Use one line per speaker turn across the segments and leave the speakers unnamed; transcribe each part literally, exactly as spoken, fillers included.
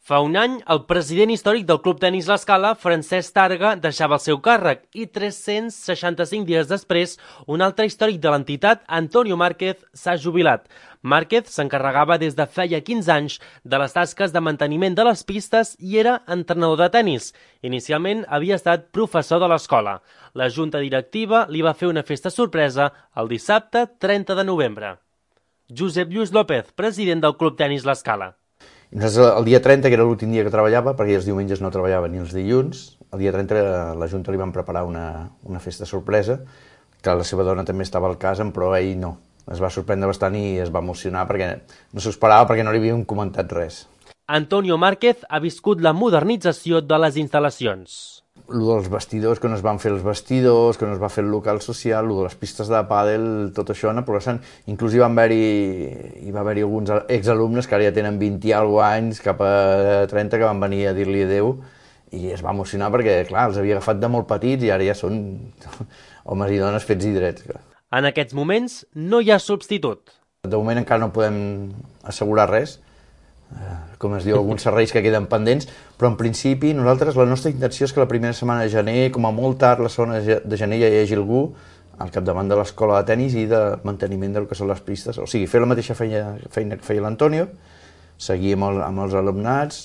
Fa un any, el president històric del Club Tenis L'Escala, Francesc Targa, deixava el seu càrrec i tres-cents seixanta-cinc dies després, un altre històric de l'entitat, Antonio Márquez, s'ha jubilat. Márquez s'encarregava des de feia quinze anys de les tasques de manteniment de les pistes i era entrenador de tenis. Inicialment havia estat professor de l'escola. La junta directiva li va fer una festa sorpresa el dissabte trenta de novembre. Josep Lluís López, president del Club Tenis L'Escala.
I nosaltres el dia trenta, que era l'últim dia que treballava, perquè els diumenges no treballava ni els dilluns, el dia trenta la Junta li van preparar una, una festa sorpresa, que la seva dona també estava al cas, però ell no. Es va sorprendre bastant i es va emocionar perquè no s'ho esperava, perquè no li havien comentat res.
Antonio Márquez ha viscut la modernització de les instal·lacions.
El dels vestidors, que no es van fer els vestidors, que no es va fer el local social, el de les pistes de pàdel, tot això anar progressant. Inclús hi va haver-hi hi va haver-hi alguns exalumnes que ara ja tenen vint i alguna anys, cap a trenta, que van venir a dir-li adeu i es va emocionar perquè, clar, els havia agafat de molt petits i ara ja són homes i dones fets i drets.
En aquests moments no hi ha substitut.
De moment encara no podem assegurar res, com es diu, alguns serveis que queden pendents, però en principi nosaltres la nostra intenció és que la primera setmana de gener, com a molt tard la segona de gener, ja hi hagi algú al capdavant de l'escola de tenis i de manteniment del que són les pistes, o sigui, fer la mateixa feina, feina que feia l'Antonio, seguir amb, el, amb els alumnats,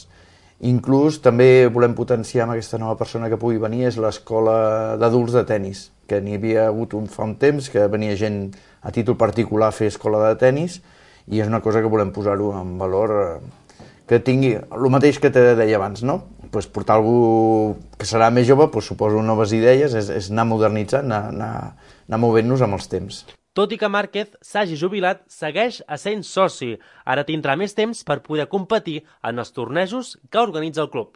inclús també volem potenciar amb aquesta nova persona que pugui venir, és l'escola d'adults de tenis, que n'hi havia hagut un, fa un temps, que venia gent a títol particular a fer escola de tenis, i és una cosa que volem posar-ho en valor, que tingui el mateix que te deia abans, no? Pues portar algú que serà més jove, pues suposo noves idees, és, és anar modernitzant, anar, anar, anar movent-nos amb els temps.
Tot i que Márquez s'hagi jubilat, segueix essent soci. Ara tindrà més temps per poder competir en els tornejos que organitza el club.